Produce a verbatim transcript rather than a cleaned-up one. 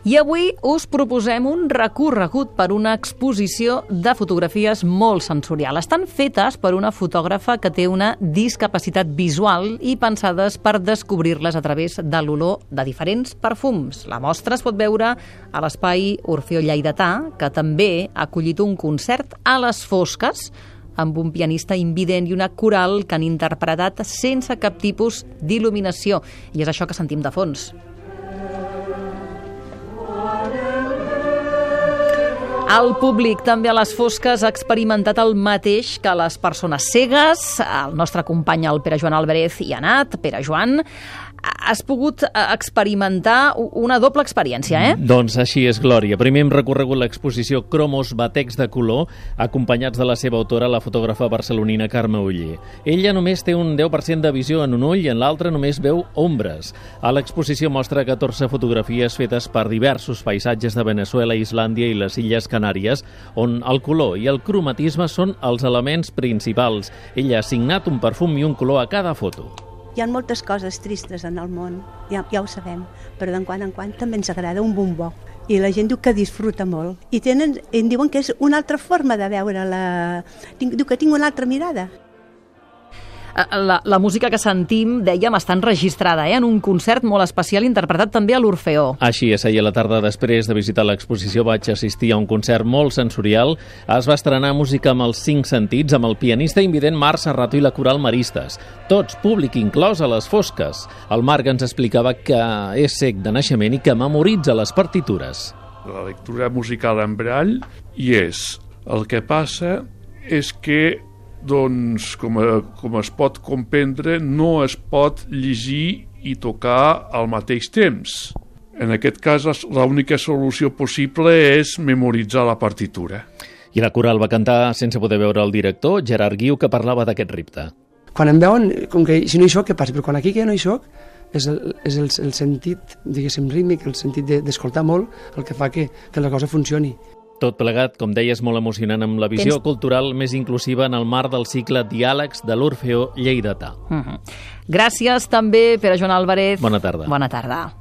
I avui us proposem un recorregut per una exposició de fotografies molt sensorial. Estan fetes per una fotògrafa que té una discapacitat visual i pensades per descobrir-les a través de l'olor de diferents perfums. La mostra es pot veure a l'espai Orfeó Lleidatà, que també ha acollit un concert a les fosques amb un pianista invident i una coral que han interpretat sense cap tipus d'il·luminació. I és això que sentim de fons. El públic també a les fosques ha experimentat el mateix que les persones cegues. El nostre company, el Pere Joan Álvarez, hi ha anat. Pere Joan, has pogut experimentar una doble experiència, eh? Doncs així és, Glòria. Primer hem recorregut l'exposició Cromos Batecs de color, acompanyats de la seva autora, la fotògrafa barcelonina Carme Oller. Ella només té un deu per cent de visió en un ull i en l'altre només veu ombres. A l'exposició mostra catorze fotografies fetes per diversos paisatges de Veneçuela, Islàndia i les Illes Canàries, on el color i el cromatisme són els elements principals. Ella ha assignat un perfum i un color a cada foto. Hi ha moltes coses tristes en el món, ja, ja ho sabem, però de quan en quan també ens agrada un bombó. I la gent diu que disfruta molt. I tenen, em diuen que és una altra forma de veure la... Diu que tinc una altra mirada. La, la música que sentim, dèiem, està enregistrada eh, en un concert molt especial interpretat també a l'Orfeó. Així és, ahir a la tarda, després de visitar l'exposició, vaig assistir a un concert molt sensorial. Es va estrenar música amb els cinc sentits, amb el pianista invident Marc Serrato i la coral Maristes. Tots, públic inclòs, a les fosques. El Marc ens explicava que és cec de naixement i que memoritza les partitures. La lectura musical en brall hi és. El que passa és que doncs, com, a, com es pot comprendre, no es pot llegir i tocar al mateix temps. En aquest cas, l'única solució possible és memoritzar la partitura. I la coral va cantar sense poder veure el director, Gerard Guiu, que parlava d'aquest repte. Quan em veuen, com que si no hi soc, què passa? Però quan aquí que no hi soc, és el, és el, el sentit, diguéssim, rítmic, el sentit d'escoltar molt, el que fa que, que la cosa funcioni. Tot plegat, com deies, molt emocionant amb la visió Tens... cultural més inclusiva en el marc del cicle Diàlegs de l'Orfeó Lleidatà. Uh-huh. Gràcies també, Pere Joan Álvarez. Bona tarda. Bona tarda.